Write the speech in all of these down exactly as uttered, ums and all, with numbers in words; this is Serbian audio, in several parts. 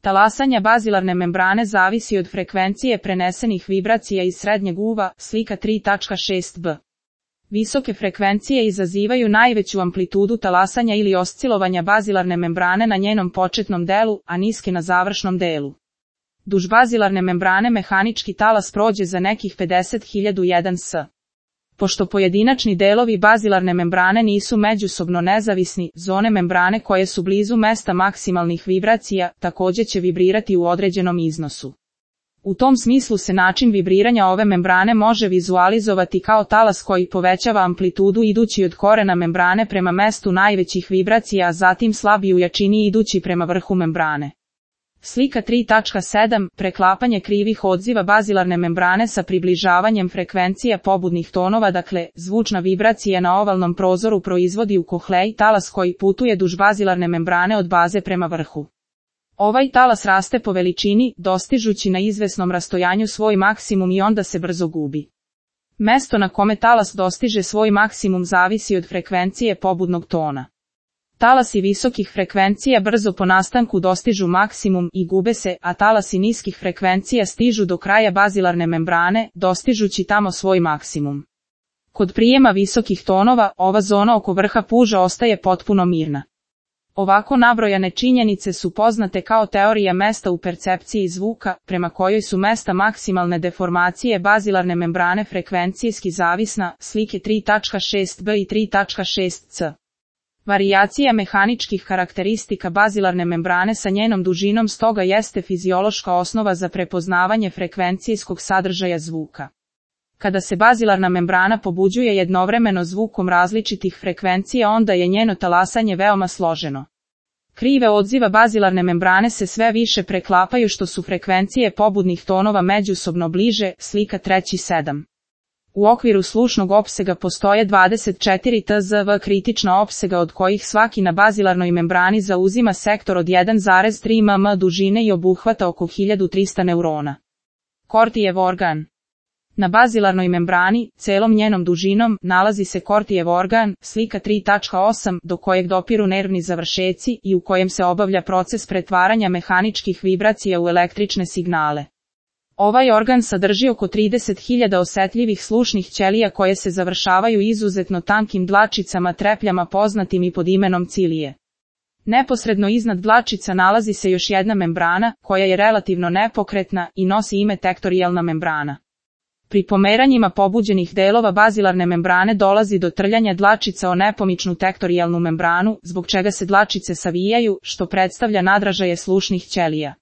Talasanja bazilarne membrane zavisi od frekvencije prenesenih vibracija iz srednjeg uva, slika tri tačka šest b. Visoke frekvencije izazivaju najveću amplitudu talasanja ili oscilovanja bazilarne membrane na njenom početnom delu, a niske na završnom delu. Duž bazilarne membrane mehanički talas prođe za nekih pedeset hiljada jedan s. Pošto pojedinačni delovi bazilarne membrane nisu međusobno nezavisni, zone membrane koje su blizu mesta maksimalnih vibracija također će vibrirati u određenom iznosu. U tom smislu se način vibriranja ove membrane može vizualizovati kao talas koji povećava amplitudu idući od korena membrane prema mestu najvećih vibracija, a zatim slabi u jačini idući prema vrhu membrane. Slika tri tačka sedam. Preklapanje krivih odziva bazilarne membrane sa približavanjem frekvencija pobudnih tonova, dakle, zvučna vibracija na ovalnom prozoru proizvodi u kohleji talas koji putuje duž bazilarne membrane od baze prema vrhu. Ovaj talas raste po veličini, dostižući na izvesnom rastojanju svoj maksimum i onda se brzo gubi. Mesto na kome talas dostiže svoj maksimum zavisi od frekvencije pobudnog tona. Talasi visokih frekvencija brzo po nastanku dostižu maksimum i gube se, a talasi niskih frekvencija stižu do kraja bazilarne membrane, dostižući tamo svoj maksimum. Kod prijema visokih tonova, ova zona oko vrha puža ostaje potpuno mirna. Ovako nabrojane činjenice su poznate kao teorija mesta u percepciji zvuka, prema kojoj su mesta maksimalne deformacije bazilarne membrane frekvencijski zavisna, slike tri tačka šest b i tri tačka šest c. Varijacija mehaničkih karakteristika bazilarne membrane sa njenom dužinom stoga jeste fiziološka osnova za prepoznavanje frekvencijskog sadržaja zvuka. Kada se bazilarna membrana pobuđuje jednovremeno zvukom različitih frekvencija, onda je njeno talasanje veoma složeno. Krive odziva bazilarne membrane se sve više preklapaju što su frekvencije pobudnih tonova međusobno bliže, slika tri sedam. U okviru slušnog opsega postoje dvadeset četiri tzv kritična opsega od kojih svaki na bazilarnoj membrani zauzima sektor od jedan zarez tri mm dužine i obuhvata oko hiljadu trista neurona. Kortijev organ. Na bazilarnoj membrani, celom njenom dužinom, nalazi se kortijev organ, slika tri tačka osam, do kojeg dopiru nervni završeci i u kojem se obavlja proces pretvaranja mehaničkih vibracija u električne signale. Ovaj organ sadrži oko trideset hiljada osetljivih slušnih ćelija koje se završavaju izuzetno tankim dlačicama trepljama poznatim i pod imenom cilije. Neposredno iznad dlačica nalazi se još jedna membrana, koja je relativno nepokretna i nosi ime tektorijalna membrana. Pri pomeranjima pobuđenih delova bazilarne membrane dolazi do trljanja dlačica o nepomičnu tektorijalnu membranu, zbog čega se dlačice savijaju, što predstavlja nadražaje slušnih ćelija.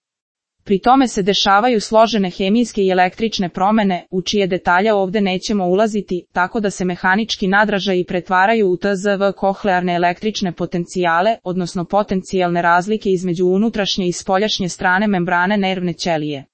Pri tome se dešavaju složene hemijske i električne promene, u čije detalje ovdje nećemo ulaziti, tako da se mehanički nadražaji pretvaraju u tzv kohlearne električne potencijale, odnosno potencijalne razlike između unutrašnje i spoljašnje strane membrane nervne ćelije.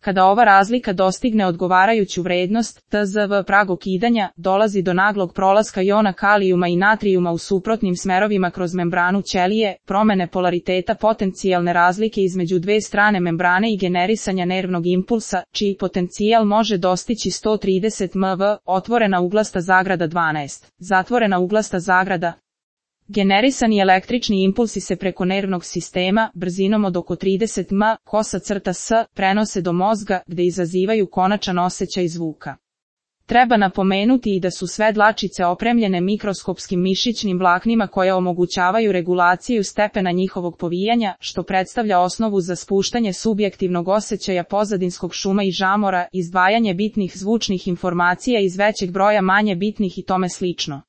Kada ova razlika dostigne odgovarajuću vrednost, tzv prag okidanja, dolazi do naglog prolaska jona kalijuma i natrijuma u suprotnim smerovima kroz membranu ćelije, promene polariteta potencijalne razlike između dve strane membrane i generisanja nervnog impulsa, čiji potencijal može dostići sto trideset milvolti, otvorena uglasta zagrada dvanaest, zatvorena uglasta zagrada. Generisani električni impulsi se preko nervnog sistema, brzinom od oko trideset milija, kosa crta s, prenose do mozga, gde izazivaju konačan osjećaj zvuka. Treba napomenuti i da su sve dlačice opremljene mikroskopskim mišićnim vlaknima koje omogućavaju regulaciju stepena njihovog povijanja, što predstavlja osnovu za spuštanje subjektivnog osjećaja pozadinskog šuma i žamora, izdvajanje bitnih zvučnih informacija iz većeg broja manje bitnih i tome slično.